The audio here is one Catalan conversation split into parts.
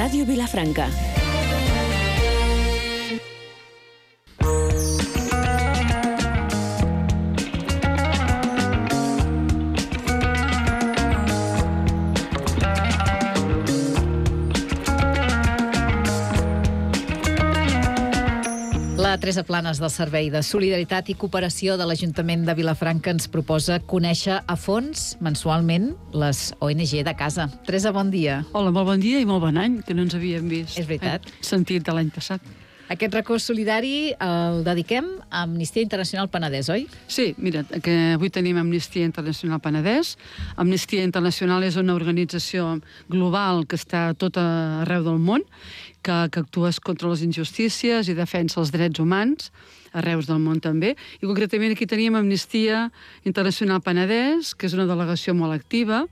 Ràdio Vilafranca. La Teresa Planes del Servei de Solidaritat i Cooperació de l'Ajuntament de Vilafranca ens proposa conèixer a fons mensualment les ONG de casa. Teresa, bon dia. Hola, molt bon dia i molt bon any, que no ens havíem vist. És veritat. Sentit de l'any passat. Aquest racó solidari el dediquem a Amnistia Internacional Penedès, oi? Sí, mira, que avui tenim Amnistia Internacional Penedès. Amnistia Internacional és una organització global que està a tot arreu del món, que actua contra les injustícies i defensa els drets humans, arreu del món també. I concretament aquí teníem Amnistia Internacional Penedès, que és una delegació molt activa,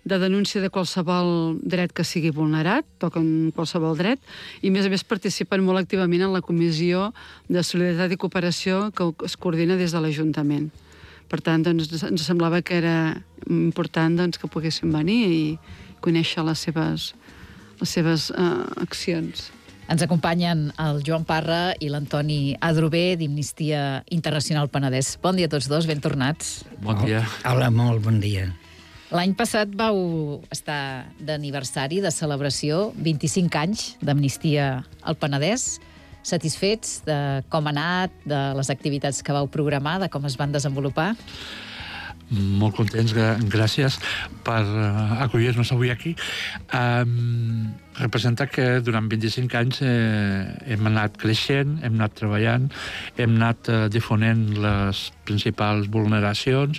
de denúncia de qualsevol dret que sigui vulnerat, toquen qualsevol dret, i a més participen molt activament en la Comissió de Solidaritat i Cooperació que es coordina des de l'Ajuntament. Per tant, doncs, ens semblava que era important que poguessin venir i conèixer les seves accions. Ens acompanyen el Joan Parra i l'Antoni Adrover d'Amnistia Internacional Penedès. Bon dia a tots dos, ben tornats. Bon dia. Hola, molt bon dia. L'any passat vau estar d'aniversari, de celebració, 25 anys d'Amnistia al Penedès. Satisfets de com ha anat, de les activitats que vau programar, de com es van desenvolupar? Molt contents, gràcies per acollir-nos avui aquí. Representa que durant 25 anys hem anat creixent, hem anat treballant, hem anat difonent les principals vulneracions,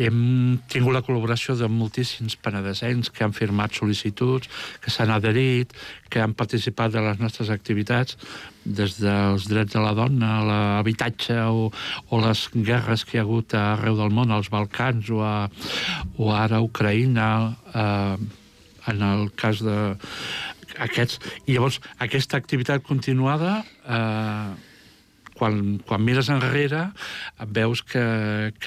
hem tingut la col·laboració de moltíssims penedesencs que han firmat sol·licituds, que s'han adherit, que han participat de les nostres activitats, des dels drets de la dona, l'habitatge o les guerres que hi ha hagut arreu del món, als Balcans o ara a Ucraïna, en el cas d'aquests. I llavors, aquesta activitat continuada, quan mires enrere, veus que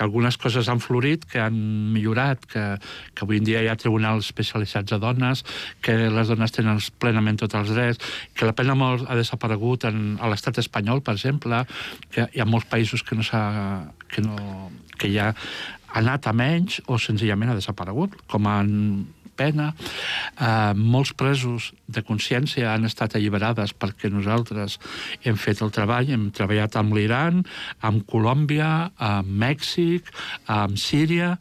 algunes coses han florit, que han millorat, que avui en dia hi ha tribunals especialitzats a dones, que les dones tenen plenament tots els drets, que la pena de mort ha desaparegut a l'estat espanyol, per exemple, que hi ha molts països que ja ha anat a menys o senzillament ha desaparegut, com en pena. Molts presos de consciència han estat alliberades perquè nosaltres hem fet el treball, hem treballat amb l'Iran, amb Colòmbia, amb Mèxic, amb Síria,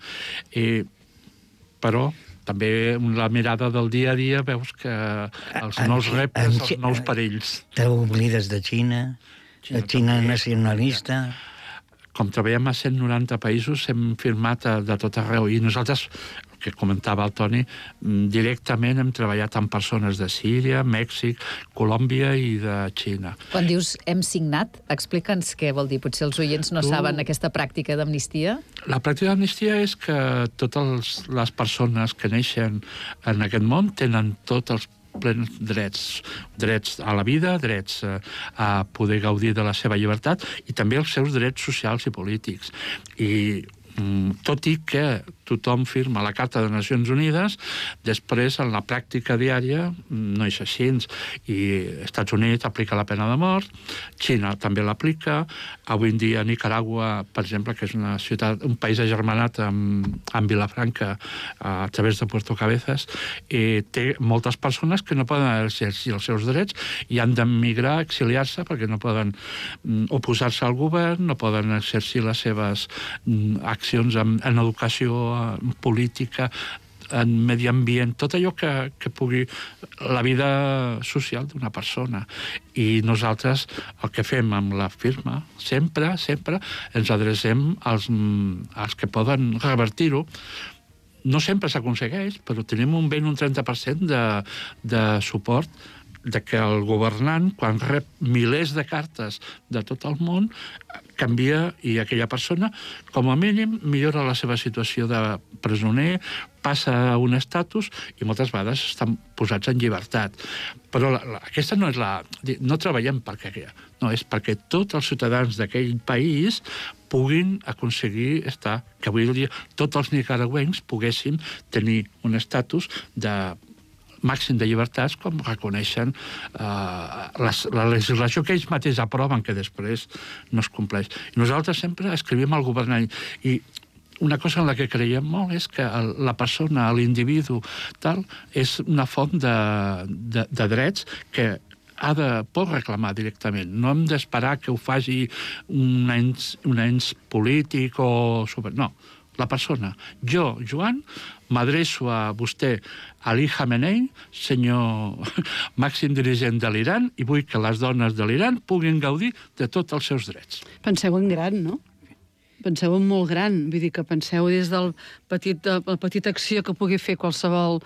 però també la mirada del dia a dia veus que els nous reptes, els nous perills. T'oblides de Xina, Xina nacionalista. Com treballem a 190 països, hem firmat de tot arreu, i nosaltres, que comentava el Toni, directament hem treballat amb persones de Síria, Mèxic, Colòmbia i de Xina. Quan dius hem signat, explica'ns què vol dir. Potser els oients no saben aquesta pràctica d'amnistia. La pràctica d'amnistia és que totes les persones que neixen en aquest món tenen tots els plens drets a la vida, drets a poder gaudir de la seva llibertat i també els seus drets socials i polítics. I tot i que tothom firma la Carta de Nacions Unides, després en la pràctica diària no és així, i Estats Units aplica la pena de mort, Xina també l'aplica, avui en dia Nicaragua, per exemple, que és una ciutat, un país agermanat amb Vilafranca a través de Puerto Cabezas, té moltes persones que no poden exercir els seus drets i han d'emigrar, exiliar-se, perquè no poden oposar-se al govern, no poden exercir les seves accions en educació, en política, en medi ambient, tot allò que pugui la vida social d'una persona. I nosaltres el que fem amb la firma, sempre ens adrecem als que poden revertir-ho. No sempre s'aconsegueix, però tenim un 30% de suport de que el governant, quan rep milers de cartes de tot el món, canvia i aquella persona, com a mínim, millora la seva situació de presoner, passa a un estatus i moltes vegades estan posats en llibertat. Però aquesta no és no treballem perquè no, és perquè tots els ciutadans d'aquell país puguin aconseguir estar, que avui dia tots els nicaragüencs poguessin tenir un estatus màxim de llibertats com reconeixen la legislació que ells mateixos aproven, que després no es compleix. I nosaltres sempre escrivim al governant i una cosa en la que creiem molt és que la persona, l'individu, tal, és una font de drets que pot reclamar directament. No hem d'esperar que ho faci un ens polític o... No, la persona. Jo, Joan, m'adreço a vostè, Ali Khamenei, senyor màxim dirigent de l'Iran, i vull que les dones de l'Iran puguin gaudir de tots els seus drets. Penseu en gran, no? Penseu en molt gran. Vull dir que penseu des de la petita acció que pugui fer qualsevol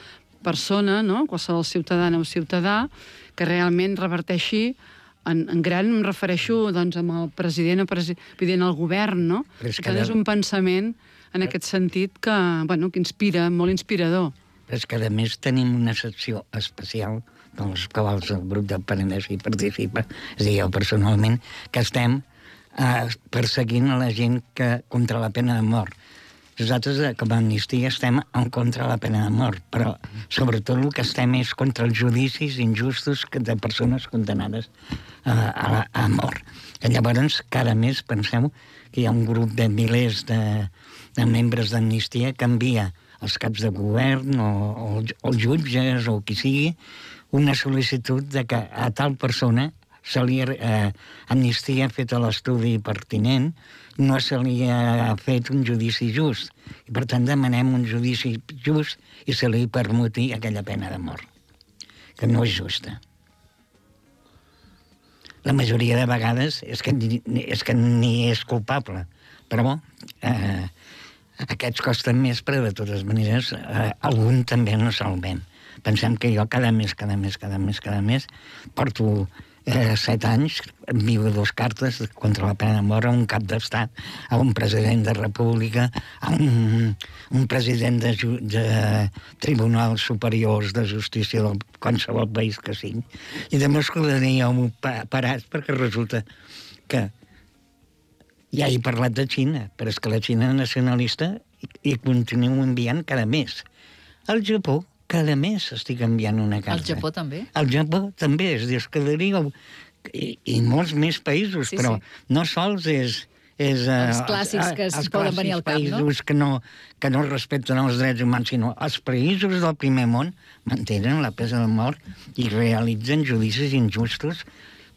persona, no? Qualsevol ciutadana o ciutadà, que realment reverteixi en gran. Em refereixo doncs, amb el president o president del govern, no? És un pensament en aquest sentit que inspira, molt inspirador. Però és que, a més, tenim una secció especial dels quals el grup del Penedès hi participa, és a dir, jo personalment, que estem perseguint a la gent contra la pena de mort. Nosaltres, com a Amnistia, estem en contra de la pena de mort, però sobretot el que estem és contra els judicis injustos de persones condenades a mort. I llavors, cada mes, penseu que hi ha un grup de milers de membres d'Amnistia que envia als caps de govern o els jutges o qui sigui una sol·licitud de que a tal persona Amnistia ha fet l'estudi pertinent, no se li ha fet un judici just. I per tant demanem un judici just i se li permuti aquella pena de mort, que no és justa. La majoria de vegades és que ni és culpable, però aquests costen més, però de totes maneres algun també no salvem. Pensem que jo cada mes porto 7 anys, envio 2 cartes contra la pena de mort a un cap d'estat, a un president de república, a un president de tribunals superiors de justícia de qualsevol país que sigui. I de m'escoltaria parat perquè resulta que ja he parlat de Xina, però és que la Xina nacionalista hi continuo enviant cada mes. El Japó, cada mes estic enviant una carta. El Japó també? El Japó també, és dir, i molts més països, però no sols és els clàssics que es poden venir al cap, no? Els països que no respecten els drets humans, sinó els països del primer món mantenen la pena de mort i realitzen judicis injustos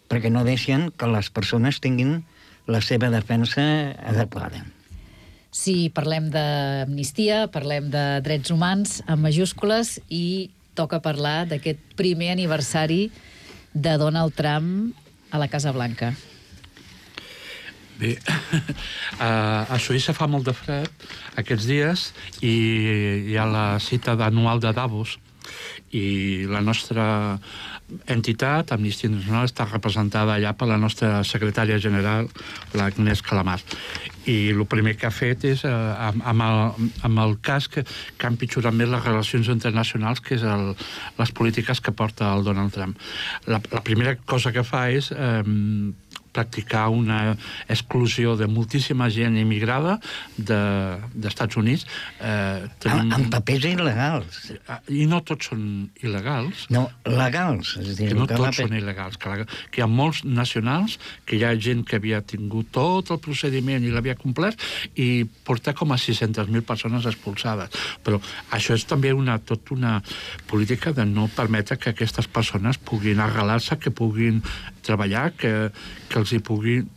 perquè no deixen que les persones tinguin la seva defensa adequada. Si parlem d'amnistia, parlem de drets humans amb majúscules i toca parlar d'aquest primer aniversari de Donald Trump a la Casa Blanca. Bé, a Suïssa fa molt de fred aquests dies i hi ha la cita anual de Davos i la nostra entitat, Amnistia Internacional, està representada allà per la nostra secretària general, l'Agnès Calamar. I el primer que ha fet és, amb el cas que ha empitjorat més les relacions internacionals, que és les polítiques que porta el Donald Trump. La primera cosa que fa és practicar una exclusió de moltíssima gent immigrada d'Estats Units. Amb papers il·legals. I no tots són il·legals. No, legals. Que no tots són il·legals. Que hi ha molts nacionals, que hi ha gent que havia tingut tot el procediment i l'havia complert, i porta com a 600.000 persones expulsades. Però això és també tota una política de no permetre que aquestes persones puguin arrelar-se, que puguin treballar, que els hi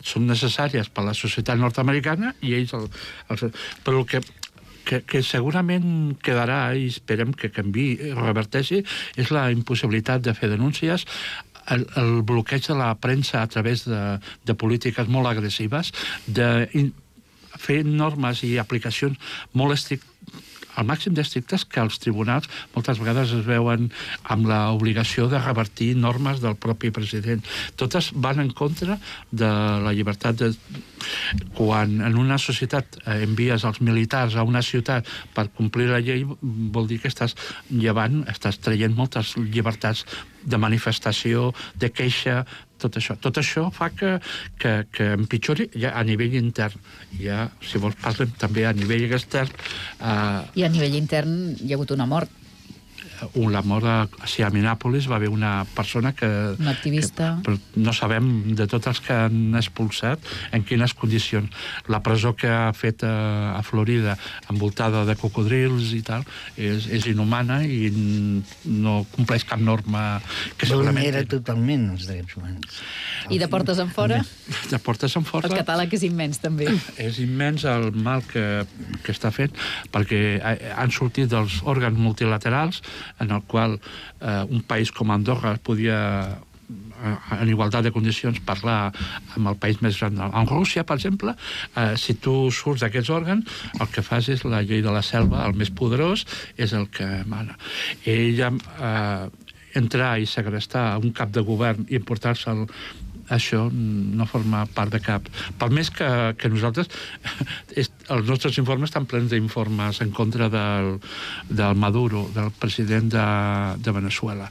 són necessàries per a la societat nord-americana i ells... Però el que segurament quedarà, i esperem que canviï, reverteixi, és la impossibilitat de fer denúncies, el bloqueig de la premsa a través de polítiques molt agressives, de fer normes i aplicacions molt estrictes, al màxim d'estrictes, que els tribunals moltes vegades es veuen amb l'obligació de revertir normes del propi president. Totes van en contra de la llibertat de... Quan en una societat envies els militars a una ciutat per complir la llei, vol dir que estàs traient moltes llibertats de manifestació, de queixa, tot això. Tot això fa que empitjori ja a nivell intern. Ja, si vols, parlem també a nivell extern. I a nivell intern hi ha hagut una mort. la mort a Minneapolis va haver una persona que... Un activista. Que no sabem de tots els que han expulsat en quines condicions. La presó que ha fet a Florida, envoltada de cocodrils i tal, és inhumana i no compleix cap norma que segurament... Vulnera totalment els drets humans. I de portes en fora? De portes en fora... El catàleg és immens, també. És immens el mal que està fent, perquè han sortit dels òrgans multilaterals en el qual un país com Andorra podia en igualtat de condicions parlar amb el país més gran. En Rússia, per exemple, si tu surts d'aquests òrgans, el que fas és la llei de la selva, el més poderós és el que mana. Ella entrar i segrestar un cap de govern i emportar-se'l, això no forma part de cap. Per més que nosaltres, els nostres informes estan plens d'informes en contra del Maduro, del president de Venezuela.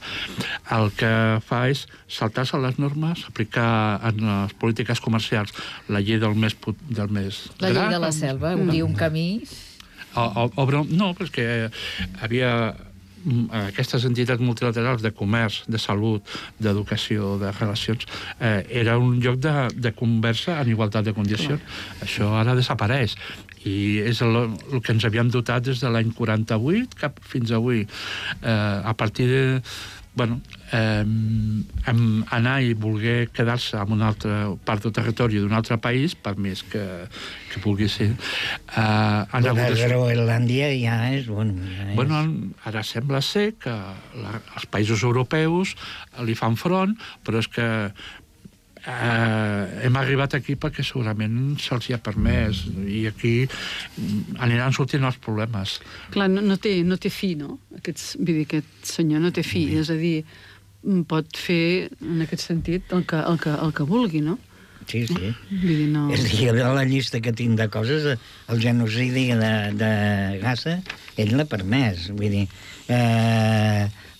El que fa és saltar-se les normes, aplicar en les polítiques comercials la llei del més la llei de la selva, obrir un camí... No, perquè havia... aquestes entitats multilaterals de comerç, de salut, d'educació, de relacions, era un lloc de conversa en igualtat de condicions. Això ara desapareix. I és el que ens havíem dotat des de l'any 48 cap fins avui. A partir de... anar i voler quedar-se en una altra part del territori d'un altre país, per més que vulgui ser... Groenlàndia ja és... Ara sembla ser que els països europeus li fan front, però és que hem arribat aquí perquè segurament se'ls hi ha permès i aquí aniran sortint els problemes. Clar, no té fi, no? Aquest senyor no té fi, és a dir, pot fer en aquest sentit el que vulgui, no? Sí. Vull dir, no... És a dir, la llista que tinc de coses, el genocidi de Gaza, ell l'ha permès, vull dir...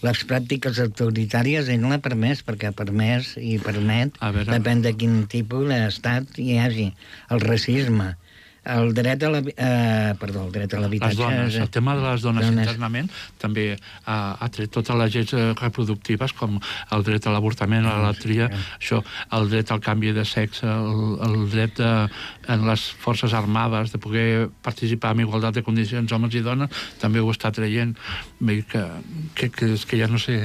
les pràctiques autoritàries ell l'ha permès, perquè ha permès i permet, depèn de quin tipus d'estat hi hagi. El racisme, el dret a l'habitatge... El tema de les dones internament també ha tret totes les lleis reproductives, com el dret a l'avortament, a la tria, el dret al canvi de sexe, el dret en les forces armades de poder participar en igualtat de condicions homes i dones, també ho està traient. Que ja no sé...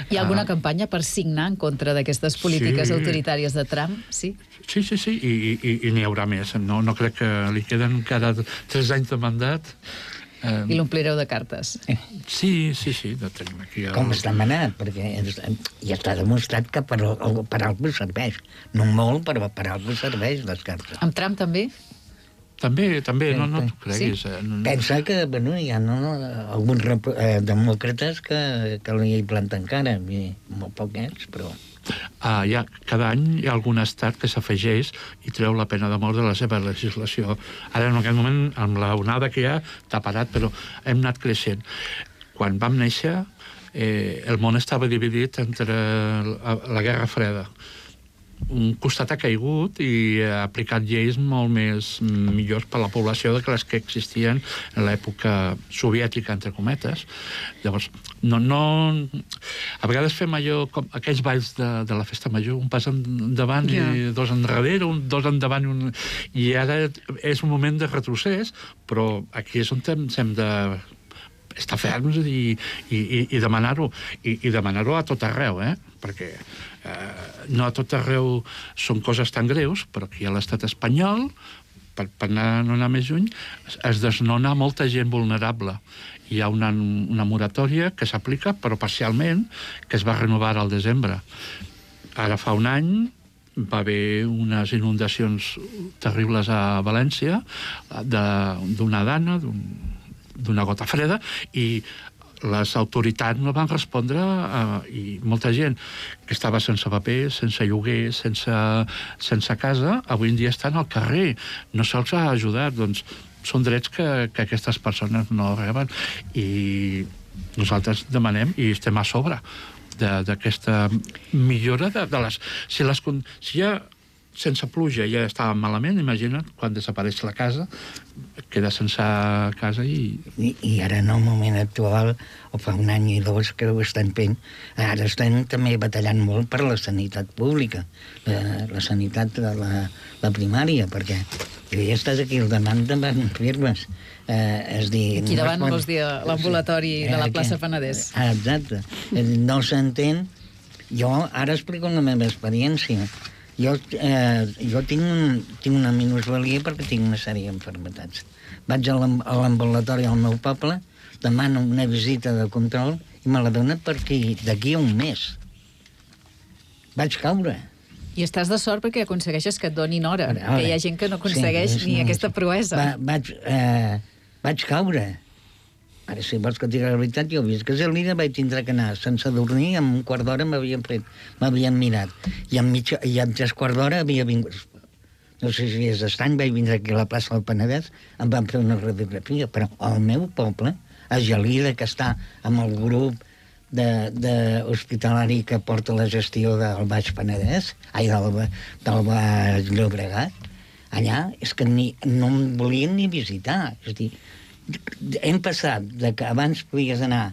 Hi ha alguna campanya per signar en contra d'aquestes polítiques autoritàries de Trump? Sí, i n'hi haurà més. No crec que li queden encara 3 anys de mandat. I l'omplireu de cartes. Sí, tenim aquí... Com està manat, perquè ja està demostrat que per alguna serveix. No molt, però per alguna serveix les cartes. Amb Trump també? També, no t'ho creguis. Pensa que hi ha alguns demòcrates que li planten cara, molt poquets, però... cada any hi ha algun estat que s'afegeix i treu la pena de mort de la seva legislació. Ara, en aquest moment, amb la onada que hi ha, t'ha parat, però hem anat creixent. Quan vam néixer, el món estava dividit entre la Guerra Freda. Un costat ha caigut i ha aplicat lleis molt millors per a la població que les que existien en l'època soviètica, entre cometes. Llavors, a vegades fem allò com aquells balls de la festa major, un pas endavant i 2 enrere, 2 endavant i ara és un moment de retrocés, però aquí és on hem de estar ferms i demanar-ho. I demanar-ho a tot arreu, perquè no a tot arreu són coses tan greus, però aquí a l'estat espanyol, per no anar més lluny, es desnona molta gent vulnerable. Hi ha una moratòria que s'aplica, però parcialment, que es va renovar al desembre. Ara fa un any va haver unes inundacions terribles a València d'una dana, d'una gota freda, i les autoritats no van respondre i molta gent que estava sense paper, sense lloguer, sense casa, avui en dia estan al carrer. No se'ls ha ajudat. Doncs són drets que aquestes persones no reben i nosaltres demanem i estem a sobre d'aquesta millora de les... Si ja sense pluja ja estava malament, imagina't quan desapareix la casa, queda sense casa I ara en el moment actual, o fa un any i dos que ho estan fent, ara estan també batallant molt per la sanitat pública, la sanitat de la primària, perquè jo he estat aquí al davant firmes. Aquí davant vols dir l'ambulatori de la plaça Penedès. Exacte. No s'entén. Jo ara explico la meva experiència. Jo tinc una minusvalia perquè tinc una sèrie d'enfermetats. Vaig a l'ambulatori al meu poble, demano una visita de control i me la donen d'aquí a un mes. Vaig caure. I estàs de sort perquè aconsegueixes que et donin hora, que hi ha gent que no aconsegueix ni aquesta proesa. Vaig caure. Ara, si vols que et digui la veritat, jo he vist que Gelida vaig tindre que anar sense dormir, en un quart d'hora m'havien mirat. I en 3 quarts d'hora havia vingut... No sé si és estrany, vaig vindre aquí a la plaça del Penedès, em van fer una radiografia, però al meu poble, a Gelida, que està amb el grup hospitalari que porta la gestió del Baix Penedès, del Baix Llobregat, allà és que no em volien ni visitar. És a dir, hem passat de que abans podies anar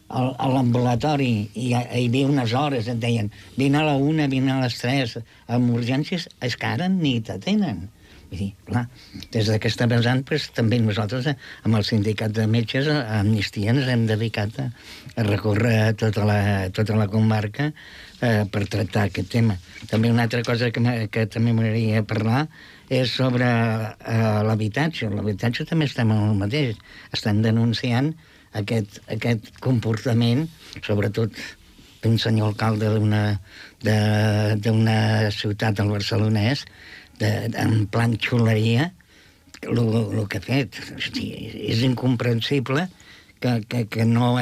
a l'ambulatori i hi havia unes hores, et deien vine a la 1, vine a les 3 amb urgències, és que ara ni t'atenen. Vull dir, clar, des d'aquesta vessant també nosaltres amb el sindicat de metges a Amnistia ens hem dedicat a recórrer tota la comarca per tractar aquest tema. També una altra cosa que també m'agradaria parlar és sobre l'habitatge. L'habitatge també estem en el mateix. Estan denunciant aquest comportament, sobretot d'un senyor alcalde d'una ciutat del Barcelonès, en plan xuleria, el que ha fet. És incomprensible que no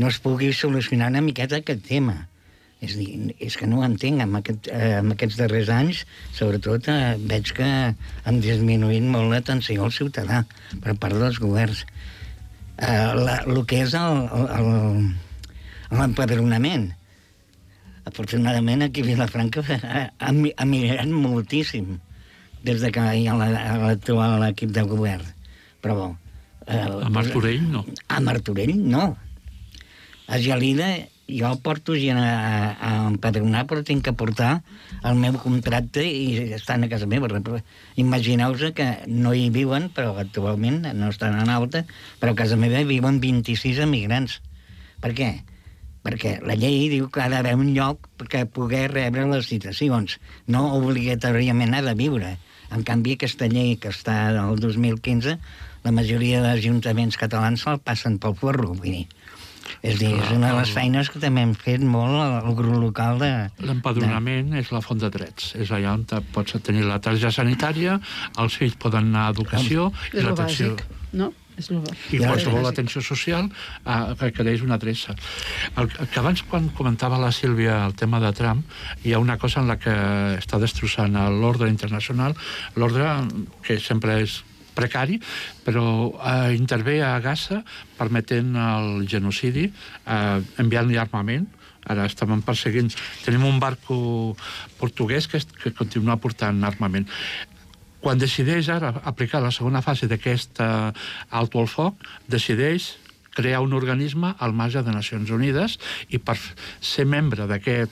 es pugui solucionar una miqueta aquest tema. És dir, és que no ho entenc. En aquests darrers anys, sobretot, veig que han disminuït molt l'atenció al ciutadà per part dels governs. El que és l'empadronament. Afortunadament, aquí a Vilafranca ha millorat moltíssim des que hi ha l'actual equip de govern. Però bo... A Martorell, no? A Martorell, no. A Gelida, jo porto gent a empadronar, però tinc que portar el meu contracte i estan a casa meva. Imagineu-vos que no hi viuen, però actualment no estan en alta, però a casa meva viuen 26 emigrants. Per què? Perquè la llei diu que ha d'haver un lloc per poder rebre les citacions. No obligatòriament ha de viure. En canvi, aquesta llei que està del 2015, la majoria d'ajuntaments catalans se'l passen pel forro, vull dir. És dir, és una de les feines que també hem fet molt al grup local de... L'empadronament és la font de drets. És allà on pots tenir la targeta sanitària, els fills poden anar a educació... És el bàsic, no? I qualsevol atenció social requereix una adreça. Que abans, quan comentava la Sílvia el tema de Trump, hi ha una cosa en la que està destrossant l'ordre internacional, l'ordre que sempre és precari, però intervé a Gaza permetent el genocidi, enviant-li armament. Ara estem perseguint... Tenim un barco portuguès que continua portant armament. Quan decideix ara aplicar la segona fase d'aquest alto al foc, decideix crear un organisme al marge de Nacions Unides i per ser membre d'aquest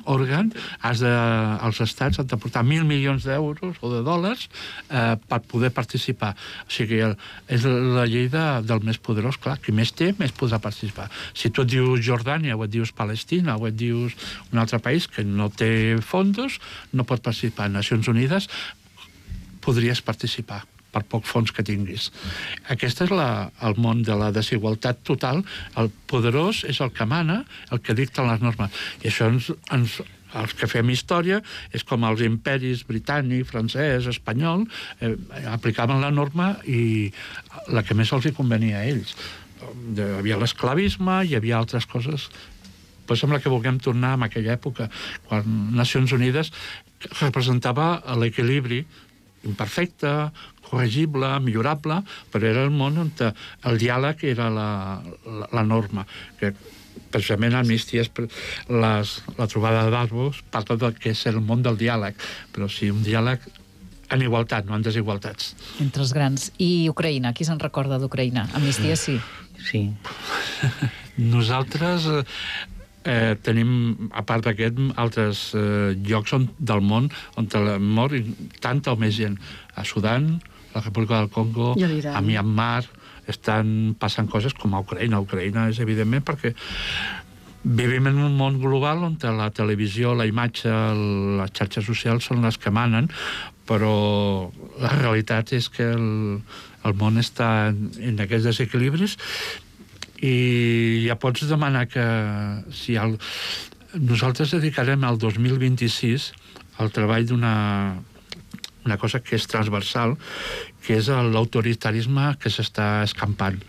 òrgan els estats han de portar 1.000 milions d'euros o de dòlars per poder participar. O sigui, és la llei del més poderós, clar, qui més té, més podrà participar. Si tu et dius Jordània o et dius Palestina o et dius un altre país que no té fondos, no pot participar. A Nacions Unides podries participar per poc fons que tinguis. Aquest és el món de la desigualtat total. El poderós és el que mana, el que dicta les normes. I això els que fem història és com els imperis britànic, francès, espanyol, aplicaven la norma i la que més els hi convenia a ells. Hi havia l'esclavisme, hi havia altres coses. Però sembla que vulguem tornar a aquella època, quan Nacions Unides representava l'equilibri imperfecte, corregible, millorable, però era el món on el diàleg era la norma. Que precisament Amnistia, la trobada d'Arbós, parla del que és el món del diàleg, però si un diàleg en igualtat, no en desigualtats. Entre els grans. I Ucraïna, qui se'n recorda d'Ucraïna? Amnistia, sí. Sí. Nosaltres tenim, a part d'aquest, altres llocs del món on mor tanta o més gent. A Sudan, la República del Congo, a Myanmar, estan passant coses com a Ucraïna. Ucraïna és evidentment perquè vivim en un món global on la televisió, la imatge, les xarxes socials són les que manen, però la realitat és que el món està en aquests desequilibris i ja pots demanar que si nosaltres dedicarem al 2026 al treball d'una cosa que és transversal, que és l'autoritarisme que s'està escampant.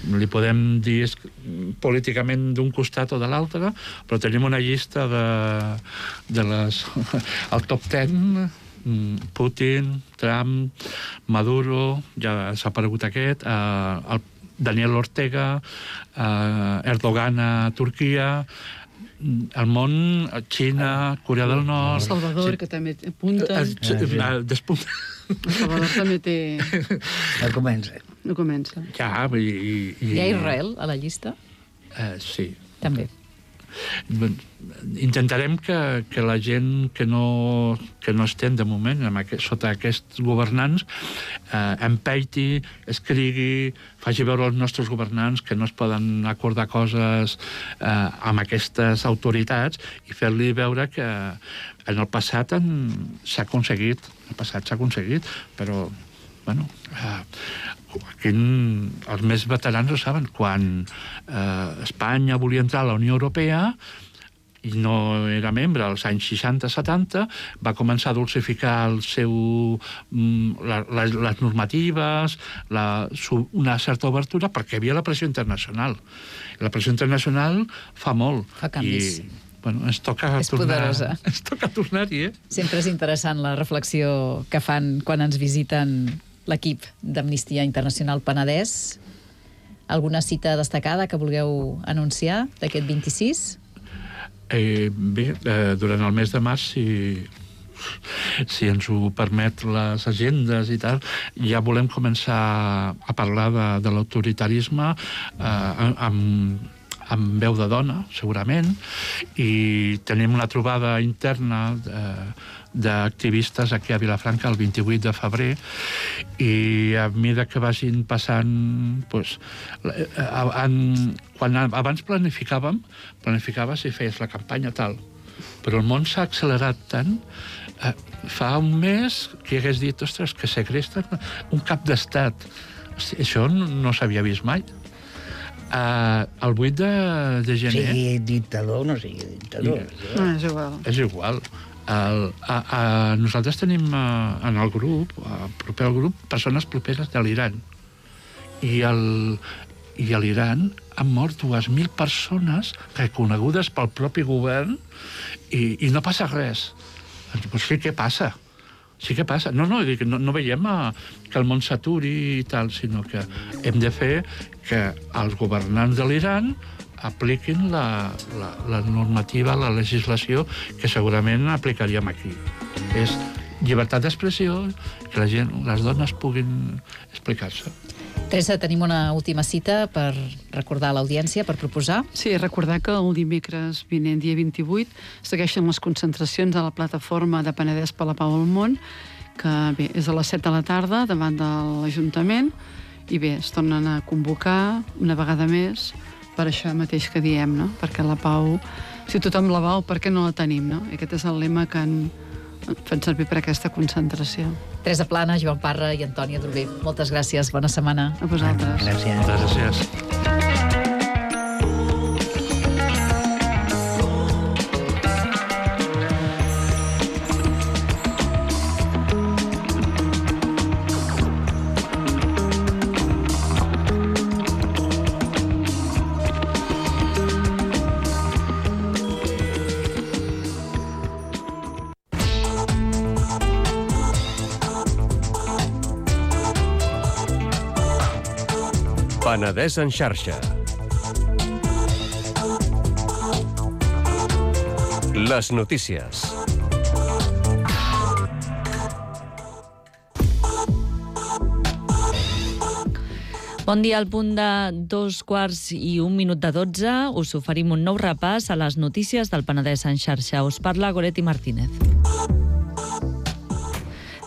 Li podem dir políticament d'un costat o de l'altre, però tenim una llista el top 10, Putin, Trump, Maduro, ja s'ha aparegut aquest, Daniel Ortega, Erdogan a Turquia, el món, Xina, Corea del Nord... Salvador, que també apunta... Despunta. Salvador també té... No comença. Ja, Hi ha Israel a la llista? Sí. També. Intentarem que la gent que no estem de moment sota aquests governants empeiti, escrigui, faci veure als nostres governants que no es poden acordar coses amb aquestes autoritats i fer-li veure que en el passat s'ha aconseguit, però bueno, aquí els més veterans ho saben, quan Espanya volia entrar a la Unió Europea i no era membre als anys 60-70, va començar a dulcificar les normatives, una certa obertura, perquè hi havia la pressió internacional. La pressió internacional fa molt. Fa canvis. Bueno, ens toca tornar-hi, Sempre és interessant la reflexió que fan quan ens visiten l'equip d'Amnistia Internacional Penedès. Alguna cita destacada que vulgueu anunciar d'aquest 26? Bé, durant el mes de març, si ens ho permet les agendes i tal, ja volem començar a parlar de l'autoritarisme amb veu de dona, segurament, i tenim una trobada interna d'activistes aquí a Vilafranca el 28 de febrer i a mesura que vagin passant abans planificaves i feies la campanya tal, però el món s'ha accelerat tant. Fa un mes que hagués dit, ostres, que segresten un cap d'estat. Això no s'havia vist mai. El 8 de gener... Sigui dictador o no sigui dictador. No, és igual. És igual. Nosaltres tenim en el grup, proper al grup, persones properes de l'Iran. I a l'Iran han mort 2.000 persones reconegudes pel propi govern i no passa res. Doncs sí, què passa? Sí que passa. No veiem que el món s'aturi i tal, sinó que hem de fer que els governants de l'Iran apliquin la normativa, la legislació que segurament aplicaríem aquí. És llibertat d'expressió, que la gent, les dones puguin explicar-se. Teresa, tenim una última cita per recordar a l'audiència, per proposar. Sí, recordar que el dimecres vinent, dia 28, segueixen les concentracions a la plataforma de Penedès per la Pau al Món, que bé, és a les 7 de la tarda davant de l'Ajuntament, i bé, es tornen a convocar una vegada més per això mateix que diem, no? Perquè la pau, si tothom la vol, per què no la tenim, no? I aquest és el lema que han fet servir per aquesta concentració. Teresa Plana, Joan Parra i Antònia Droguer, moltes gràcies, bona setmana. A vosaltres. Gràcies. Moltes gràcies. Penedès en xarxa. Les notícies. Bon dia, al punt de 2:01 us oferim un nou repàs a les notícies del Penedès en xarxa. Us parla Goretti Martínez.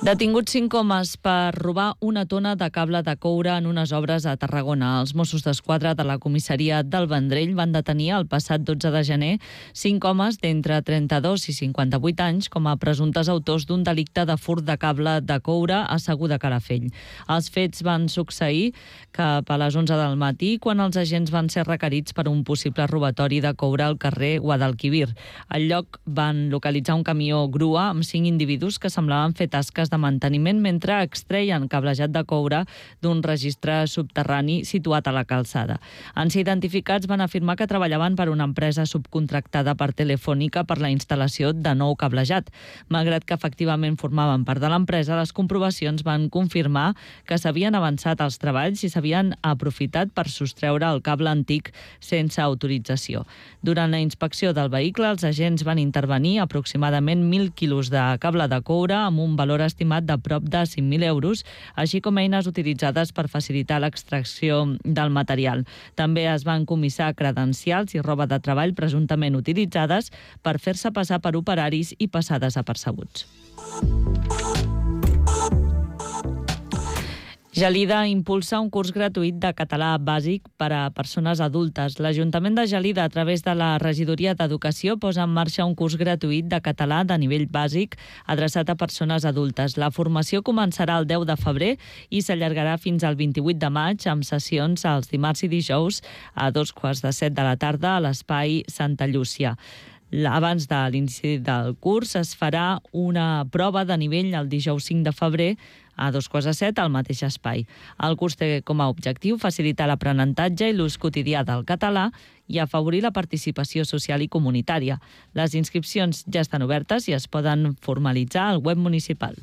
Detinguts 5 homes per robar una tona de cable de coure en unes obres a Tarragona. Els Mossos d'Esquadra de la comissaria del Vendrell van detenir el passat 12 de gener 5 homes d'entre 32 i 58 anys com a presumptes autors d'un delicte de furt de cable de coure a Segur de Calafell. Els fets van succeir cap a les 11 del matí quan els agents van ser requerits per un possible robatori de coure al carrer Guadalquivir. Al lloc van localitzar un camió grua amb 5 individus que semblaven fer tasques de manteniment mentre extreien cablejat de coure d'un registre subterrani situat a la calçada. En ser identificats van afirmar que treballaven per una empresa subcontractada per Telefònica per la instal·lació de nou cablejat. Malgrat que efectivament formaven part de l'empresa, les comprovacions van confirmar que s'havien avançat els treballs i s'havien aprofitat per sostreure el cable antic sense autorització. Durant la inspecció del vehicle, els agents van intervenir aproximadament 1.000 quilos de cable de coure amb un valor estimat de prop de 5.000 euros, així com eines utilitzades per facilitar l'extracció del material. També es van comissar credencials i roba de treball presumptament utilitzades per fer-se passar per operaris i passar desapercebuts. Gelida impulsa un curs gratuït de català bàsic per a persones adultes. L'Ajuntament de Gelida, a través de la Regidoria d'Educació, posa en marxa un curs gratuït de català de nivell bàsic adreçat a persones adultes. La formació començarà el 10 de febrer i s'allargarà fins al 28 de maig amb sessions els dimarts i dijous a 2:15 de la tarda a l'Espai Santa Llúcia. Abans de l'inici del curs es farà una prova de nivell el dijous 5 de febrer a 2:15 al mateix espai. El curs té com a objectiu facilitar l'aprenentatge i l'ús quotidià del català i afavorir la participació social i comunitària. Les inscripcions ja estan obertes i es poden formalitzar al web municipal.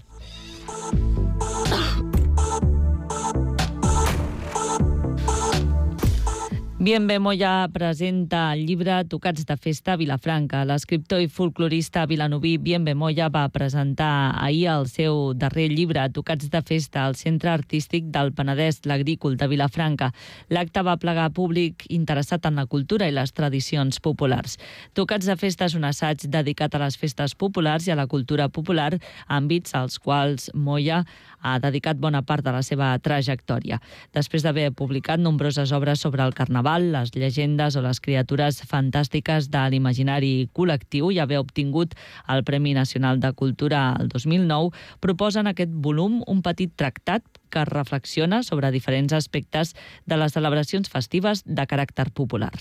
Bienve Moya presenta el llibre Tocats de festa a Vilafranca. L'escriptor i folclorista vilanoví Bienve Moya va presentar ahir el seu darrer llibre Tocats de festa al Centre Artístic del Penedès l'Agrícola de Vilafranca. L'acte va plegar públic interessat en la cultura i les tradicions populars. Tocats de festa és un assaig dedicat a les festes populars i a la cultura popular, àmbits als quals Moya ha dedicat bona part de la seva trajectòria. Després d'haver publicat nombroses obres sobre el carnaval, les llegendes o les criatures fantàstiques de l'imaginari col·lectiu i haver obtingut el Premi Nacional de Cultura el 2009, proposa en aquest volum un petit tractat que reflexiona sobre diferents aspectes de les celebracions festives de caràcter popular.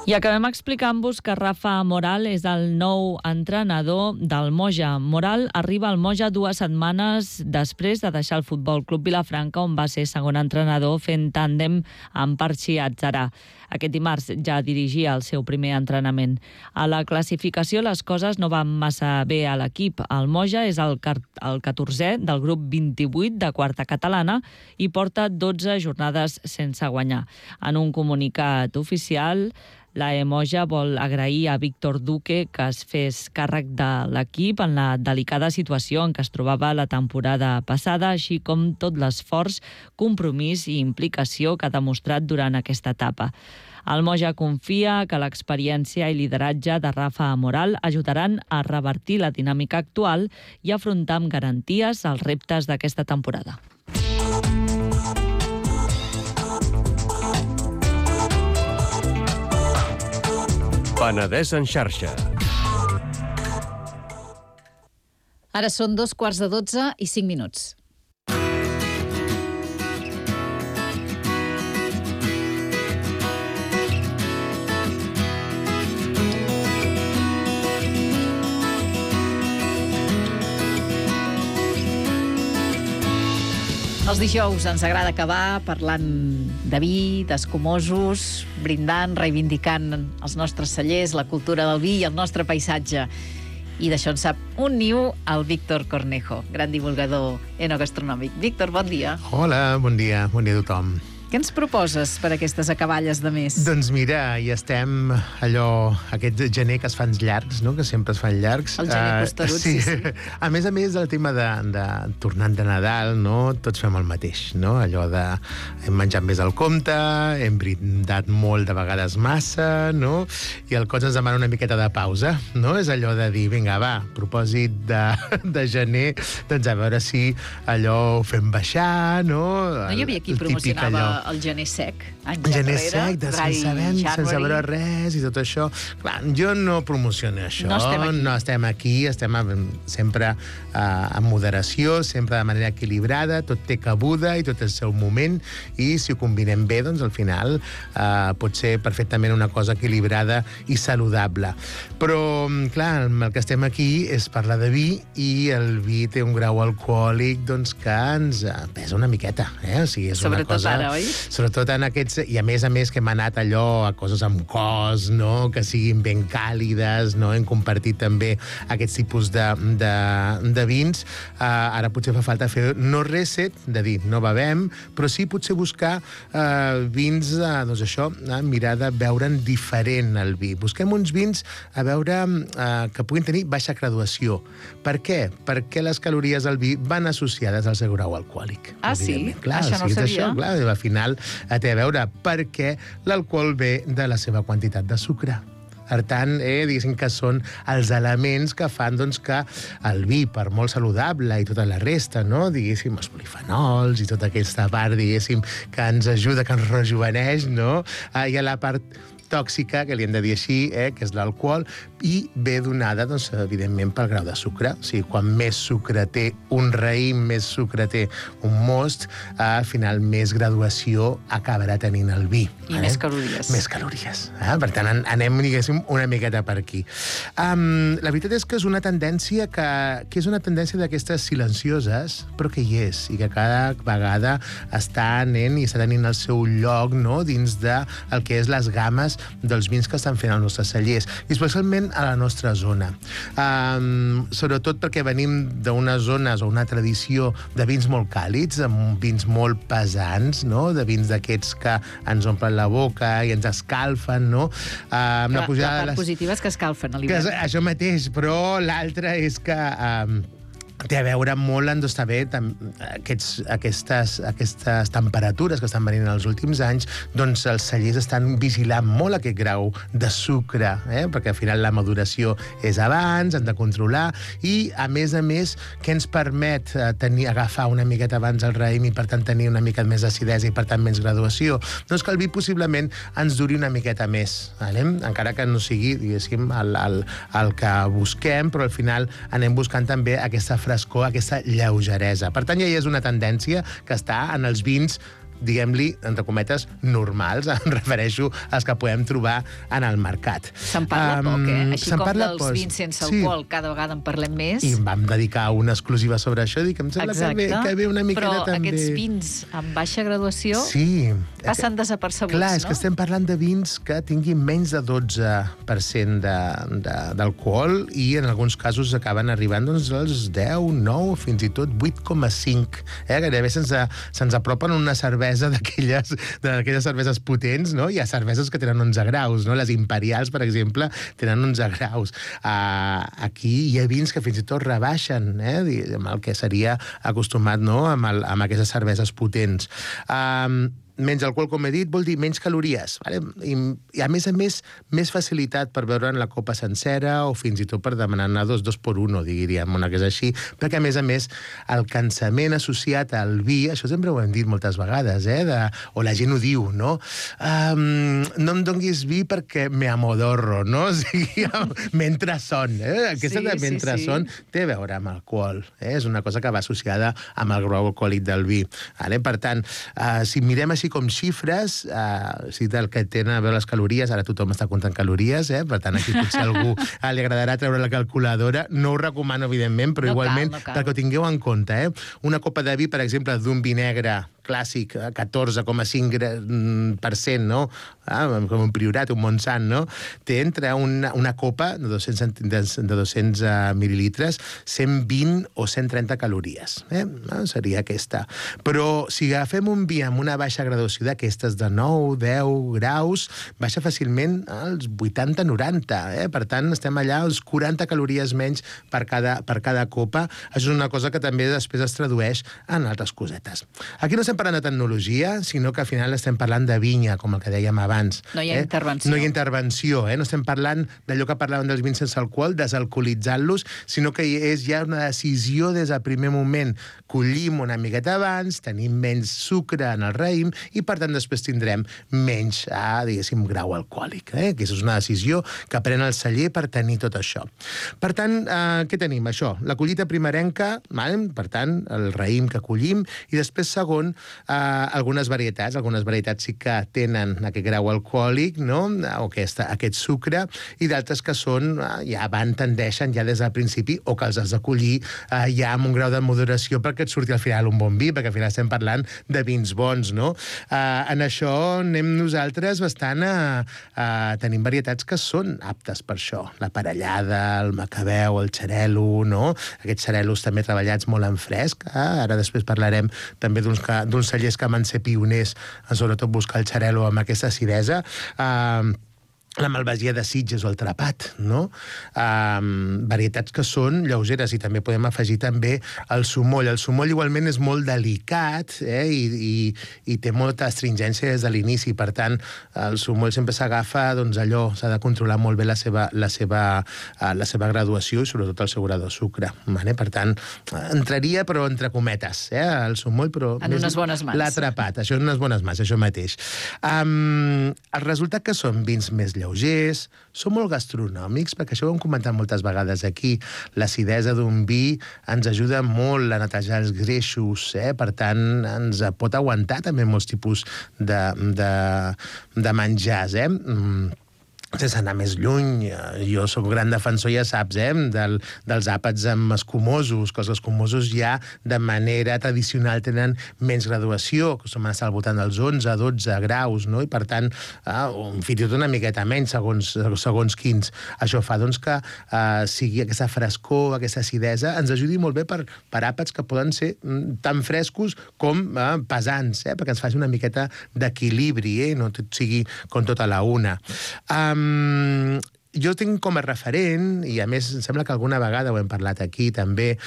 I acabem explicant-vos que Rafa Moral és el nou entrenador del Moja. Moral arriba al Moja 2 setmanes després de deixar el Futbol Club Vilafranca, on va ser segon entrenador fent tàndem amb Parchi Atzarà. Aquest dimarts ja dirigia el seu primer entrenament. A la classificació les coses no van massa bé a l'equip. El Moja és el 14è del grup 28 de quarta catalana i porta 12 jornades sense guanyar. En un comunicat oficial, la Moja vol agrair a Víctor Duque que es fes càrrec de l'equip en la delicada situació en què es trobava la temporada passada, així com tot l'esforç, compromís i implicació que ha demostrat durant aquesta etapa. El Moja confia que l'experiència i lideratge de Rafa Moral ajudaran a revertir la dinàmica actual i afrontar amb garanties els reptes d'aquesta temporada. Penedès en xarxa. Ara són 2:15 i 5 minuts. Els dijous ens agrada acabar parlant de vi, d'escumosos, brindant, reivindicant els nostres cellers, la cultura del vi i el nostre paisatge. I d'això en sap un niu el Víctor Cornejo, gran divulgador enogastronòmic. Víctor, bon dia. Hola, bon dia a tothom. Què ens proposes per aquestes acaballes de mes? Doncs mira, hi estem aquest gener que es fan llargs, no? Que sempre es fan llargs. El gener costerut, sí. A més, el tema de tornant de Nadal, no? Tots fem el mateix, no? Allò de hem menjat més al compte, hem brindat molt de vegades massa, no? I el cos ens demana una miqueta de pausa, no? És allò de dir, vinga, va, propòsit de gener, doncs a veure si allò ho fem baixar, no? No hi havia qui promocionava el gener sec, anys gener enrere, sec, sense vent, sense veure res i tot això. Clar, jo no promociono això. No estem aquí, estem sempre en moderació, sempre de manera equilibrada, tot té cabuda i tot el seu moment, i si ho combinem bé, doncs al final pot ser perfectament una cosa equilibrada i saludable. Però, clar, el que estem aquí és parlar de vi, i el vi té un grau alcohòlic doncs, que ens pesa una miqueta. O sigui, és una sobretot cosa, ara, oi? Sobretot en aquests... I a més que hem anat allò a coses amb cos, no? Que siguin ben càlides, no? Hem compartit també aquests tipus de vins. Ara potser fa falta fer no reset, de dir, no bevem, però sí potser buscar vins, doncs això, mirar de veure'n diferent el vi. Busquem uns vins a veure que puguin tenir baixa graduació. Per què? Perquè les calories del vi van associades al seu grau alcohòlic. Ah, sí? Clar, això no ho sabia. això, clar, al final té a veure perquè l'alcohol ve de la seva quantitat de sucre. Per tant, diguéssim que són els elements que fan doncs, que el vi, per molt saludable i tota la resta, no? Diguéssim, els polifenols i tota aquesta part, diguéssim, que ens ajuda, que ens rejuveneix, no? Hi ha la part tòxica, que li hem de dir així, que és l'alcohol, i ve donada, doncs, evidentment, pel grau de sucre. O sigui, quan més sucre té un raïm, més sucre té un most, al final més graduació acabarà tenint el vi. I més calories. Més calories. Per tant, anem, diguéssim, una miqueta per aquí. La veritat és que és una tendència que és una tendència d'aquestes silencioses, però que hi és, i que cada vegada està anant i està tenint el seu lloc, no?, dins del que és les games dels vins que estan fent els nostres cellers, i especialment a la nostra zona. Sobretot perquè venim d'unes zones o una tradició de vins molt càlids, amb vins molt pesants, no? De vins d'aquests que ens omplen la boca i ens escalfen, no? La part positiva és que escalfen a l'hivern. Això mateix, però l'altre és que té a veure molt en estar bé aquestes temperatures que estan venint els últims anys, doncs els cellers estan vigilant molt aquest grau de sucre, perquè al final la maduració és abans, han de controlar, i a més, què ens permet agafar una miqueta abans el raïm i per tant tenir una mica més d'acidesa i per tant menys graduació? Doncs que el vi possiblement ens duri una miqueta més, encara que no sigui, diguéssim, el que busquem, però al final anem buscant també aquesta frescor, aquesta lleugeresa. Per tant, ja hi és una tendència que està en els vins, diguem-li, entre cometes, normals, em refereixo als que podem trobar en el mercat. Se'n parla poc, Així com dels vins sense alcohol, cada vegada en parlem més. I em vam dedicar una exclusiva sobre això, dic, em sembla que ve una miqueta però també... Però aquests vins amb baixa graduació passen desapercebuts, clar, és que estem parlant de vins que tinguin menys de 12% d'alcohol, i en alguns casos acaben arribant doncs, als 10, 9, fins i tot 8,5. Gairebé se'ns apropen una cervesa d'aquelles cerveses potents, no? Hi ha cerveses que tenen 11 graus, no? Les imperials, per exemple, tenen 11 graus. Aquí hi ha vins que fins i tot rebaixen, amb el que seria acostumat, no?, amb aquestes cerveses potents. Menys alcohol, com he dit, vol dir menys calories, i a més, més facilitat per beure en la copa sencera, o fins i tot per demanar-ne dos per uno, diríem, una que és així, perquè a més, el cansament associat al vi, això sempre ho hem dit moltes vegades, o la gent ho diu, no? No em donguis vi perquè me amodorro, no? O sigui, mentre son. Aquesta de mentre son té a veure amb alcohol. És una cosa que va associada amb el grau alcohòlic del vi. Per tant, si mirem així com xifres, del que tenen a veure les calories, ara tothom està comptant calories, per tant aquí potser a algú li agradarà treure la calculadora, no ho recomano evidentment, però igualment perquè ho tingueu en compte. Una copa de vi, per exemple, d'un vi negre clàssic, 14,5%, no? Com un Priorat, un Montsant, no? Té entre una copa de 200 mil·lilitres 120 o 130 calories. Seria aquesta. Però si agafem un vi amb una baixa graduació d'aquestes de 9, 10 graus, baixa fàcilment als 80-90. Per tant, estem allà als 40 calories menys per cada copa. Això és una cosa que també després es tradueix en altres cosetes. Aquí no estem parlant de tecnologia, sinó que al final estem parlant de vinya, com el que dèiem abans. No hi ha intervenció. No hi ha intervenció, no estem parlant d'allò que parlàvem dels vins sense alcohol, desalcoholitzant-los, sinó que és ja una decisió des del primer moment. Collim una miqueta abans, tenim menys sucre en el raïm i, per tant, després tindrem menys, diguéssim, grau alcohòlic. Aquesta és una decisió que pren el celler per tenir tot això. Per tant, què tenim? Això, la collita primerenca, per tant, el raïm que collim, i després, segon, algunes varietats. Algunes varietats sí que tenen aquest grau alcohòlic, no? O aquest sucre, i d'altres que són, ja tendeixen ja des del principi, o que els has de collir ja amb un grau de moderació perquè et surti al final un bon vi, perquè al final estem parlant de vins bons, no? En això anem nosaltres bastant tenim varietats que són aptes per això. La parellada, el macabeu, el xarel·lo, no? Aquests xarel·los també treballats molt en fresc. Ara després parlarem també d'uns cellers que van ser pioners en sobretot buscar el xarel·lo amb aquesta acidesa. La malvasia de Sitges o el trapat, no? Varietats que són lleugeres, i també podem afegir també el sumoll. El sumoll igualment és molt delicat i té molta astringència des de l'inici. Per tant, el sumoll sempre s'agafa, doncs allò, s'ha de controlar molt bé la seva graduació i sobretot el seu grau de sucre. Per tant, entraria, però entre cometes, el sumoll, però... En unes bones mans. L'atrapat, això en unes bones mans, això mateix. El resultat que són vins més lleugers, són molt gastronòmics, perquè això ho hem comentat moltes vegades aquí. L'acidesa d'un vi ens ajuda molt a netejar els greixos, per tant, ens pot aguantar també molts tipus de menjars, sense anar més lluny. Jo sóc gran defensor, ja saps, dels àpats amb escumosos, que els escumosos ja de manera tradicional tenen menys graduació, que som al voltant dels 11-12 graus, no? I per tant, fins i tot una miqueta menys, segons quins. Això fa doncs, que sigui aquesta frescor, aquesta acidesa, ens ajudi molt bé per àpats que poden ser tan frescos com pesants, perquè ens faci una miqueta d'equilibri, no tot sigui com tota la una. Jo tinc com a referent, i a més em sembla que alguna vegada ho hem parlat aquí també,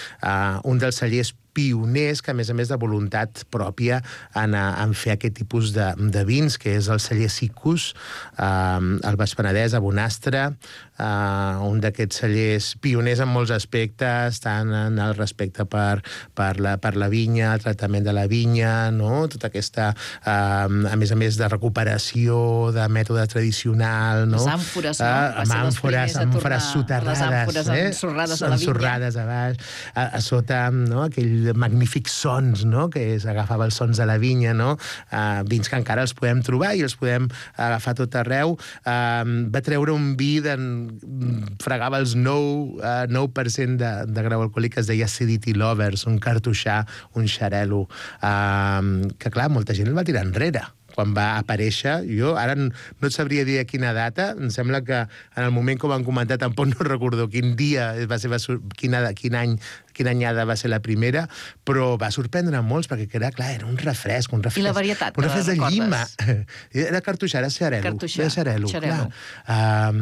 un dels cellers pioners, que a més de voluntat pròpia en fer aquest tipus de vins, que és el celler Sicus, al Baix Penedès, a Bonastre, un d'aquests cellers pioners en molts aspectes, tant en el respecte per la vinya, el tractament de la vinya, no? Tota aquesta, a més de recuperació, de mètode tradicional, no? Les àmfores, no? Àmfores soterrades. Les àmfores ensorrades a la vinya. Ensorrades a baix, a sota, no? Aquell magnífics sons, no? Que s'agafava els sons de la vinya, no? Vins que encara els podem trobar i els podem agafar tot arreu. Va treure un vi fregava els 9% de grau alcohòlic, que es deia Acidity Lovers, un cartoixà, un xarel·lo, que clar, molta gent el va tirar enrere quan va aparèixer. Jo ara no et sabria dir a quina data, em sembla que en el moment que ho van comentar tampoc no recordo quin dia va ser, quina anyada va ser la primera, però va sorprendre molts, perquè era, clar, era un refresc. I la varietat, un refresc de recordes? llima. Era cartoixà, era xarel·lo. Clar.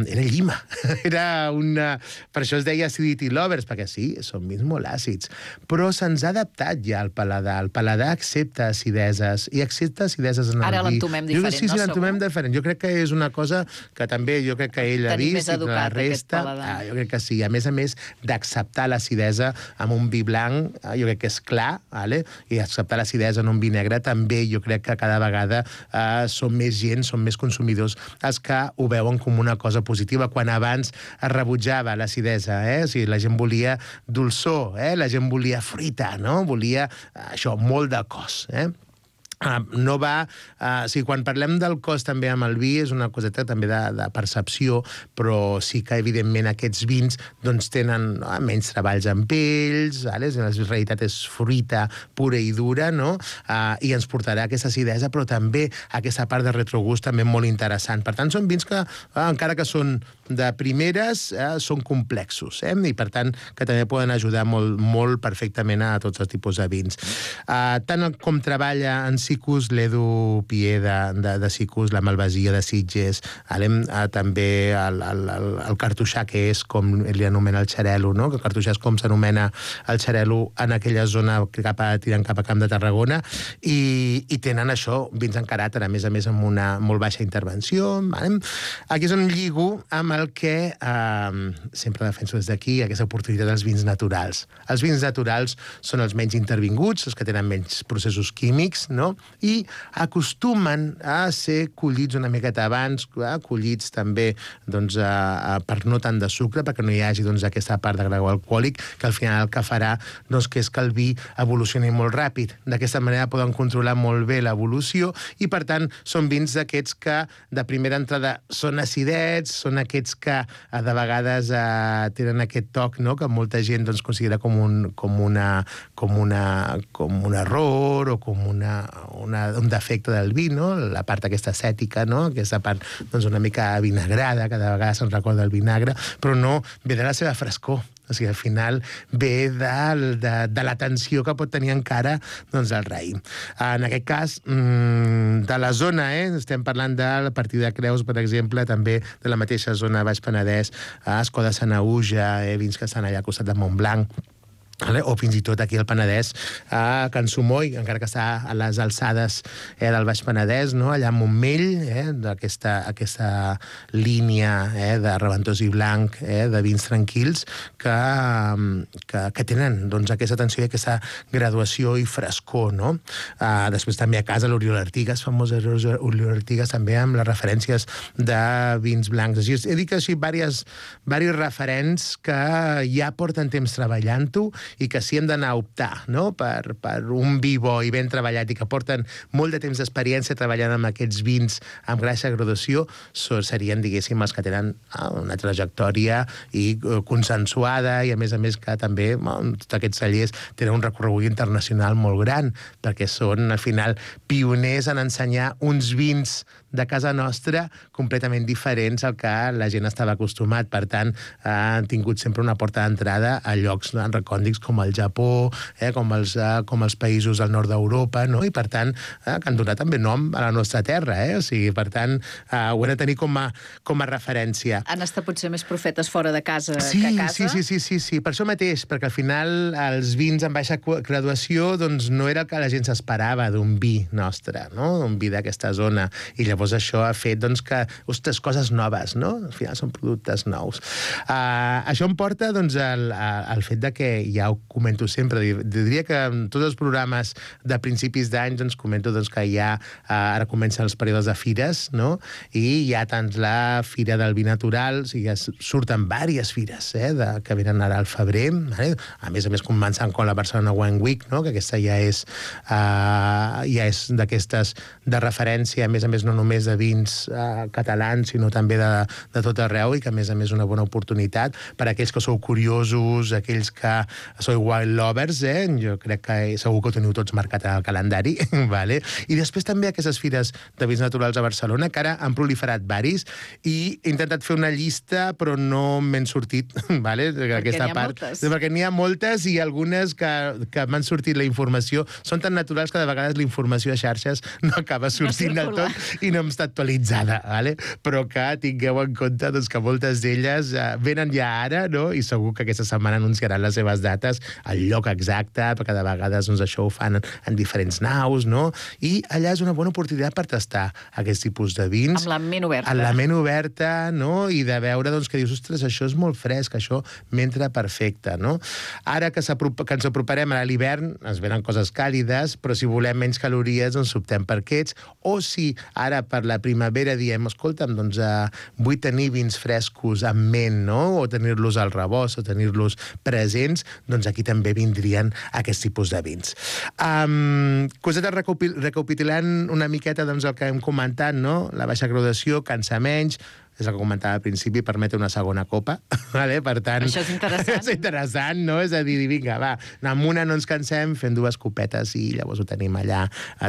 Era llima. Per això es deia Acidity Lovers, perquè sí, són vins molt àcids. Però se'ns ha adaptat ja al paladar. El paladar accepta acideses, i accepta acideses en el vi. Ara l'entomem diferent, no? Sí, l'entomem diferent. Jo crec que és una cosa que també, jo crec que ell ha vist, i la resta, jo crec que sí. A més d'acceptar l'acidesa amb un vi blanc, jo crec que és clar, i acceptar l'acidesa en un vi negre també jo crec que cada vegada són més gent, són més consumidors els que ho veuen com una cosa positiva, quan abans es rebutjava l'acidesa, o sigui, la gent volia dolçor, la gent volia fruita, no? Volia això, molt de cos, no va... O sigui, quan parlem del cost també amb el vi, és una coseta també de percepció, però sí que, evidentment, aquests vins doncs, tenen menys treballs amb ells, la realitat és fruita pura i dura, no? I ens portarà aquesta acidesa, però també aquesta part de retrogust també molt interessant. Per tant, són vins que, encara que són de primeres, són complexos, i per tant, que també poden ajudar molt, molt perfectament a tots els tipus de vins. Tant com treballa en Sicus, l'Edu Pier de Sicus, la Malvasia de Sitges, també el cartoixà, que és com li anomena el xarel·lo, no? Que el cartoixà és com s'anomena el xarel·lo en aquella zona tirant cap a Camp de Tarragona, i tenen això, vins en caràcter, a més amb una molt baixa intervenció. Aquí és on lligo amb el que sempre defenso des d'aquí, aquesta oportunitat dels vins naturals. Els vins naturals són els menys intervinguts, els que tenen menys processos químics, no? I acostumen a ser collits una miqueta abans, collits també per no tant de sucre, perquè no hi hagi aquesta part de grau alcohòlic, que al final el que farà que és que el vi evolucioni molt ràpid. D'aquesta manera poden controlar molt bé l'evolució i, per tant, són vins d'aquests que de primera entrada són acidets, són aquests que de vegades tenen aquest toc, que molta gent considera com un error o com un defecte del vi, la part aquesta acètica, aquesta part una mica vinagrada, que de vegades se'n recorda el vinagre, però no ve de la seva frescor. O sigui, al final ve de la tensió que pot tenir encara el raïm. En aquest cas, de la zona, estem parlant de la partir de Creus, per exemple, també de la mateixa zona Baix Penedès, Escó de Sanaüja, vins que estan allà al costat de Montblanc, o fins i tot aquí al Penedès, a Can Sumoy, encara que està a les alçades del Baix Penedès, allà a Montmell, d'aquesta línia de Reventós i Blanc, de vins tranquils, que tenen aquesta atenció i aquesta graduació i frescor. Després també a casa l'Oriol Artigas, famós Oriol Artigas, també amb les referències de vins blancs. He dit així diversos referents que ja porten temps treballant-ho i que si hem d'anar a optar per un vi bo i ben treballat i que porten molt de temps d'experiència treballant amb aquests vins amb baixa graduació, serien, diguéssim, els que tenen una trajectòria i consensuada i, a més que també tots aquests cellers tenen un recorregut internacional molt gran, perquè són, al final, pioners en ensenyar uns vins de casa nostra completament diferents al que la gent estava acostumat. Per tant, han tingut sempre una porta d'entrada a llocs recòndits com el Japó, com els països del nord d'Europa, i per tant, que han donat també nom a la nostra terra. O sigui, per tant, ho hem de tenir com a referència. Han estat potser més profetes fora de casa que a casa? Sí, per això mateix, perquè al final els vins amb baixa graduació no era el que la gent s'esperava d'un vi nostre, d'un vi d'aquesta zona, i llavors això ha fet que, ostres, coses noves, al final són productes nous. Això em porta al fet que, ja ho comento sempre, diria que en tots els programes de principis d'any comento que ja ara comencen els períodes de fires, i hi ha tant la Fira del Vi Natural, o sigui, surten diverses fires que venen ara al febrer, a més començant com la Barcelona Wine Week, que aquesta ja és d'aquestes de referència, a més no només de vins catalans, sinó també de tot arreu, i que a més una bona oportunitat per a aquells que sou curiosos, aquells que sou wine lovers, jo crec que segur que ho teniu tots marcat al calendari, i després també aquestes fires de vins naturals a Barcelona, que ara han proliferat varis, i he intentat fer una llista, però no m'hen sortit, perquè n'hi ha moltes, i algunes que m'han sortit la informació són tan naturals que de vegades la informació a xarxes no acaba sortint del tot i no està actualitzada, però que tingueu en compte que moltes d'elles venen ja ara, i segur que aquesta setmana anunciaran les seves dates, el lloc exacte, perquè de vegades això ho fan en diferents naus, i allà és una bona oportunitat per tastar aquest tipus de vins. Amb la ment oberta. Amb la ment oberta, i de veure que dius, ostres, això és molt fresc, això m'entra perfecte, Ara que ens aproparem a l'hivern, ens venen coses càlides, però si volem menys calories, optem per aquests, o si ara per la primavera diem, escolta'm, doncs vull tenir vins frescos en ment, no? O tenir-los al rebost, o tenir-los presents, doncs aquí també vindrien aquest tipus de vins. Cosetes recapitulant una miqueta doncs, el que hem comentat, no? La baixa graduació, cansa menys, és el que comentava al principi, permet una segona copa, vale? Per tant... Això és interessant. És interessant, no? És a dir, vinga, va, amb una no ens cansem, fent 2 copetes i llavors ho tenim allà,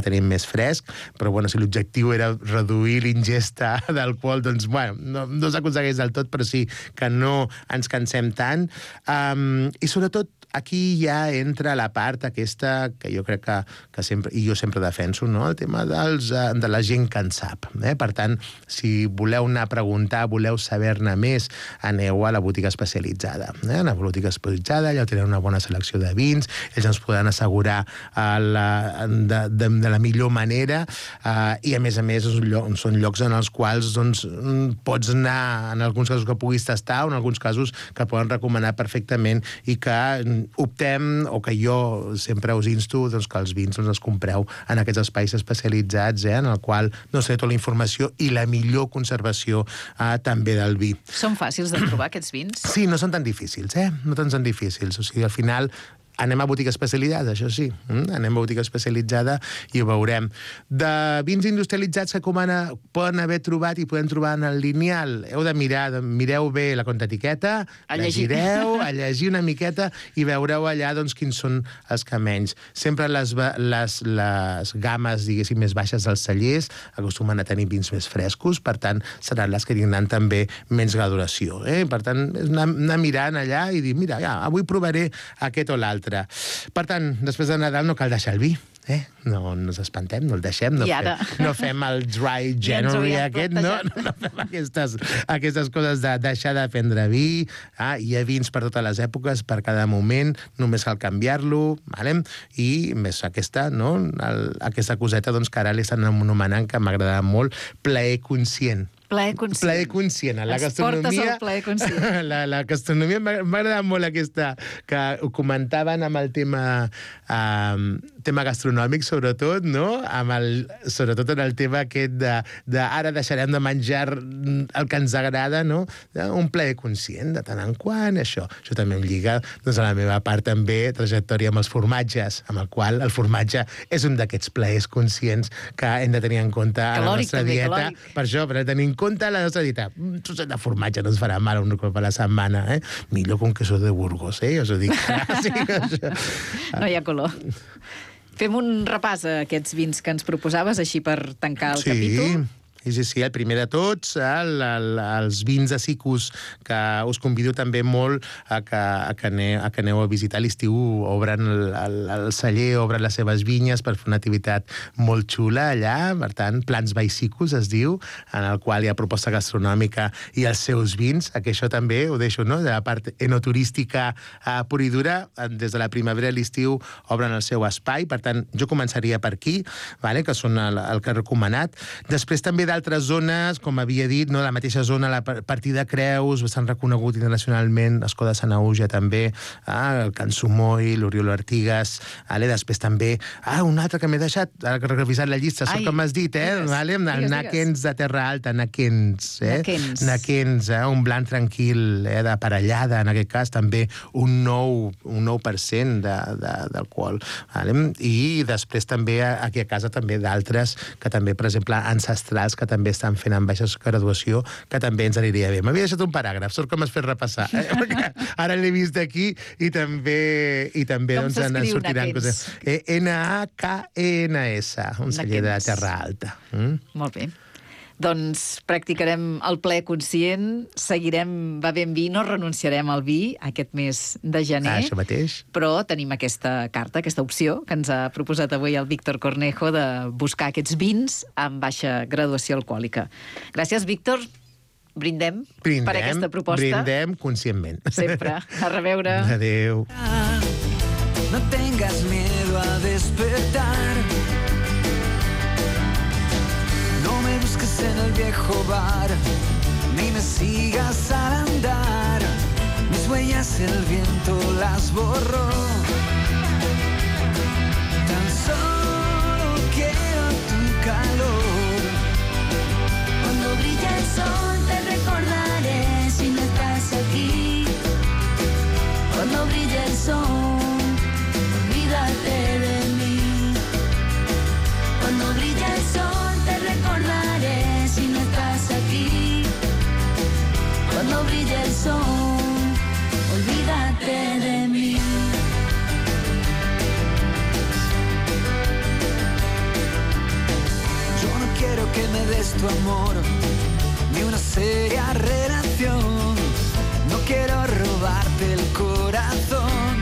tenim més fresc, però bueno, si l'objectiu era reduir l'ingesta d'alcohol, doncs, bueno, no s'aconsegueix del tot, però sí que no ens cansem tant. I sobretot, aquí ja entra la part aquesta que jo crec que sempre, i jo sempre defenso, no? El tema de la gent que en sap. Per tant, si voleu anar a preguntar, voleu saber-ne més, aneu a la botiga especialitzada. A la botiga especialitzada, allà tenen una bona selecció de vins, ells ens poden assegurar de la millor manera, i a més són llocs en els quals doncs, pots anar, en alguns casos que puguis tastar, o en alguns casos que poden recomanar perfectament i que optem, o que jo sempre us insto, doncs, que els vins els compreu en aquests espais especialitzats, en el qual sé tota la informació i la millor conservació també del vi. Són fàcils de trobar, aquests vins? Sí, no són tan difícils, no tan difícils. O sigui, al final anem a botiga especialitzada, això sí. Anem a botiga especialitzada i ho veurem. De vins industrialitzats que poden haver trobat i podem trobar en el lineal, heu de mirar, mireu bé la contraetiqueta, llegireu, a llegir una miqueta i veureu allà doncs, quins són els que menys. Sempre les games, diguéssim, més baixes dels cellers acostumen a tenir vins més frescos, per tant, seran les que tindran també menys graduació. Per tant, és anar mirant allà i dir, mira, avui provaré aquest o l'altre. Per tant, després de Nadal no cal deixar el vi. No ens espantem, no el deixem, no fem el dry January aquest, no fem aquestes coses de deixar de prendre vi. Hi ha vins per totes les èpoques, per cada moment, només cal canviar-lo, i més aquesta coseta que ara l'estan anomenant, que m'agrada molt, plaer conscient. Plaer conscient. Plaer conscient. Ens portes el plaer conscient. La gastronomia m'ha agradat molt aquesta, que ho comentaven amb el tema gastronòmic, sobretot, no? Sobretot en el tema aquest de ara deixarem de menjar el que ens agrada, no? Un plaer conscient, de tant en quant, això. Això també em lliga a la meva part també, trajectòria amb els formatges, amb el qual el formatge és un d'aquests plaers conscients que hem de tenir en compte a la nostra dieta. Per això, per tenir en compte la nostra dieta. Un trosset de formatge no ens farà mal un cop a la setmana, Millor que un queso de Burgos, us ho dic. No hi ha color. Fem un repàs a aquests vins que ens proposaves, així per tancar el capítol. Sí, el primer de tots, els vins de Sicus, que us convido també molt a que aneu a visitar l'estiu. Obren el celler, obren les seves vinyes per fer una activitat molt xula allà. Per tant, Plans by Sicus es diu, en el qual hi ha proposta gastronòmica i els seus vins, que això també ho deixo, no? De la part enoturística pura i dura, des de la primavera a l'estiu obren el seu espai. Per tant, jo començaria per aquí, que són el que he recomanat. Després també d'altres zones, com havia dit, la mateixa zona, la Partida Creus, bastant reconegut internacionalment, Escó de Sanaüja també, el Can Sumoy, l'Oriol Artigas, després també, un altre que m'he deixat, ara que he revisat la llista, sóc com has dit, el Nakens de Terra Alta, Nakens, un blanc tranquil, d'aparellada, en aquest cas, també un 9% d'alcohol. I després també, aquí a casa, també d'altres, que també, per exemple, ancestrals, que també estan fent amb baixa graduació, que també ens aniria bé. M'havia deixat un paràgraf, sort que m'has fet repassar. Ara l'he vist aquí i també ens sortiran coses. Nakens, un celler de Terra Alta. Molt bé. Doncs practicarem el plaer conscient, seguirem bevent vi, no renunciarem al vi aquest mes de gener. Això mateix. Però tenim aquesta carta, aquesta opció que ens ha proposat avui el Víctor Cornejo de buscar aquests vins amb baixa graduació alcohòlica. Gràcies, Víctor. Brindem per aquesta proposta. Brindem conscientment. Sempre. A reveure. Adéu. No tengas miedo a despertar. No me busques en el viejo bar, ni me sigas al andar. Mis huellas el viento las borró. Tan solo quiero tu calor. es tu amor, ni una seria relación. No quiero robarte el corazón.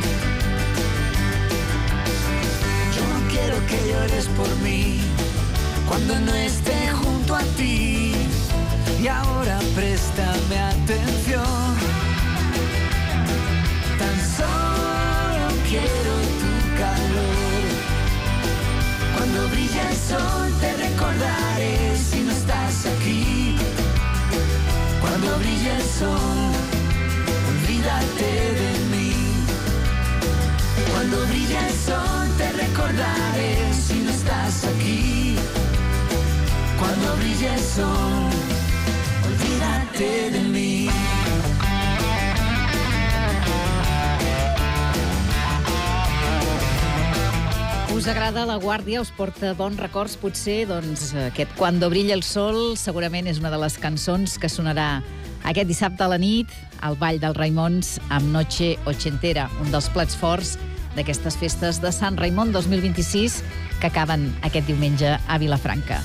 Yo no quiero que llores por mí cuando no esté junto a ti. Y ahora préstame atención. Tan solo quiero tu calor. Cuando brilla el sol te recordaré si no estás aquí. Cuando brilla el sol, olvídate de mí. Cuando brilla el sol te recordaré si no estás aquí. Cuando brilla el sol, olvídate de mí. Us agrada La Guàrdia? Us porta bons records, potser? Doncs aquest Cuando brilla el sol segurament és una de les cançons que sonarà aquest dissabte a la nit al Ball dels Raimons amb Noche Ochentera, un dels plats forts d'aquestes festes de Sant Raimon 2026 que acaben aquest diumenge a Vilafranca.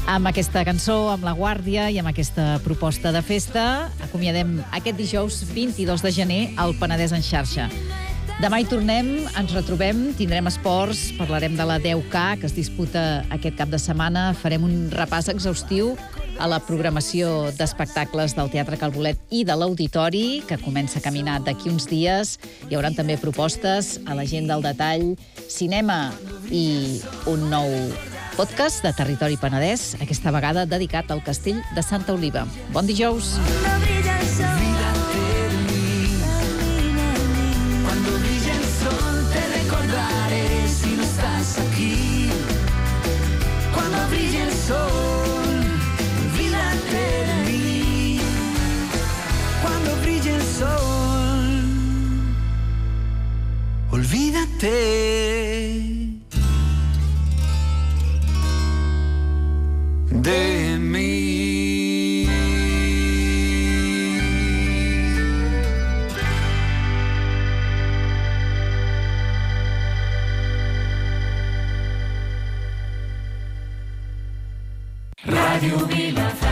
Amb aquesta cançó, amb La Guàrdia i amb aquesta proposta de festa, acomiadem aquest dijous 22 de gener al Penedès en xarxa. Demà hi tornem, ens retrobem, tindrem esports, parlarem de la 10K que es disputa aquest cap de setmana, farem un repàs exhaustiu a la programació d'espectacles del Teatre Calbolet i de l'Auditori, que comença a caminar d'aquí uns dies. Hi haurà també propostes a la gent del detall, cinema i un nou podcast de Territori Penedès, aquesta vegada dedicat al Castell de Santa Oliva. Bon dijous! Aquí, cuando brille el sol, olvídate de mí. Cuando brille el sol, olvídate de mí. Radio Vilafranca.